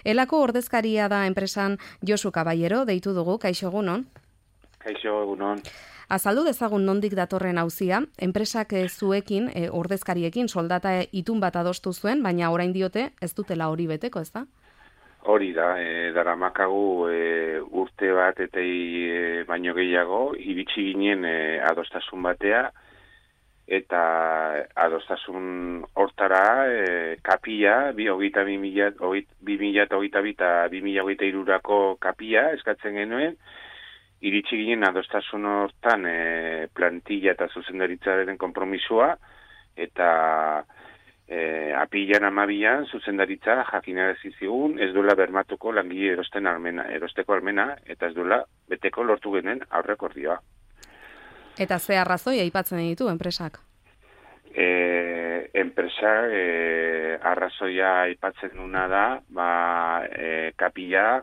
Elako ordezkaria da enpresan Josu Caballero, deitu dugu, kaixo egunon. Kaixo egunon. Azaldu dezagun nondik datorren auzia, enpresak zuekin, ordezkariekin soldata itun bat adostu zuen, baina orain diote ez dutela hori beteko, ez da? Hori da, daramakagu urte bat eta baino gehiago, iritsi ginen adostasun batea, eta adostasun hortara kapia, 2022-2023 kapia eskatzen genuen, iritsi ginen adostasun hortan plantilla eta zuzendaritzaren konpromisua, eta apilan 12an zuzendaritza jakinarazi zigun ez duela bermatuko langile erosteko almena, eta ez duela beteko lortu genuen aurrekordioa. Eta ze arrazoi aipatzen ditu enpresak? Enpresak arrazoia aipatzen duna da, kapila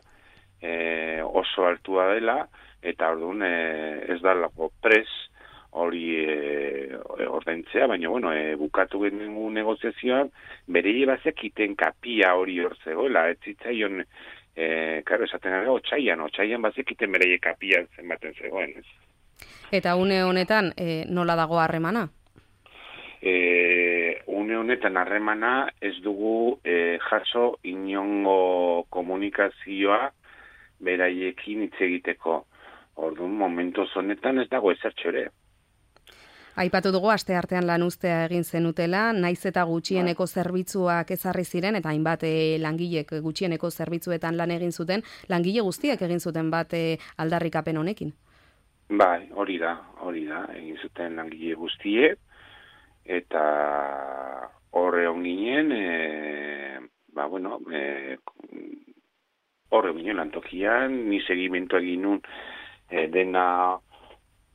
oso altua dela, eta orduan ez da lago pres hori ordaintzea, baina bukatu genuen negoziazioan, berei bazekiten kapia hori hor zegoela, ez zitzaion, esaten gara, otxaian bazekiten berei kapia zenbaten zegoen, ez. Eta une honetan nola dago harremana? Une honetan harremana ez dugu jaso inongo komunikazioa beraiekin hitz egiteko. Orduan, momentu honetan ez dago ezertxo ere. Aipatu dugu asteartean lanuztea egin zenutela, naiz eta gutxieneko zerbitzuak ezarri ziren, eta hainbat langilek gutxieneko zerbitzuetan lan egin zuten, langile guztiek egin zuten bat aldarrikapen honekin. Bai, hori da, egin zuten langile guztiek, eta horre onginen, horre onginen lantokian, ni segimentu egin nun dena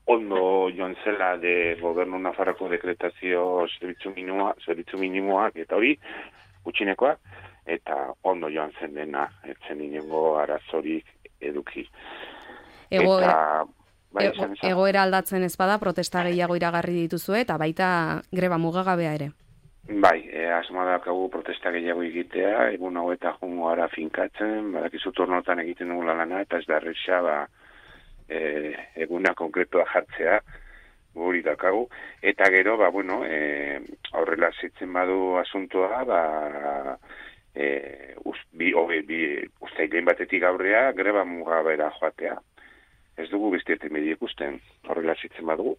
ondo joan zela de gobernu nafarroko dekretazio zerbitzu minimoak eta hori, gutxinekoak, eta ondo joan zen dena, etzen inengo arazorik eduki. Egoera aldatzen ez bada, protesta gehiago iragarri dituzue, eta baita greba mugagabea ere. Bai, asma dakagu protesta gehiago egitea, egun hau eta jungo ara finkatzen, badakizu turnotan egiten dugula lana, eta ez da erresa, eguna konkretua jartzea, guri dakagu, eta gero, aurrela zitzen badu asuntoa, uztailen batetik aurrea, greba mugabera joatea. Ez dugu bestieten medio ikusten, horrela zitzen badugu.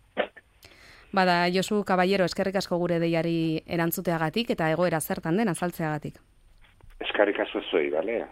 Bada, Josu Caballero, eskerrik asko gure deiari erantzuteagatik eta egoera zertan den azaltzeagatik. Eskerrik asko zuei, bale?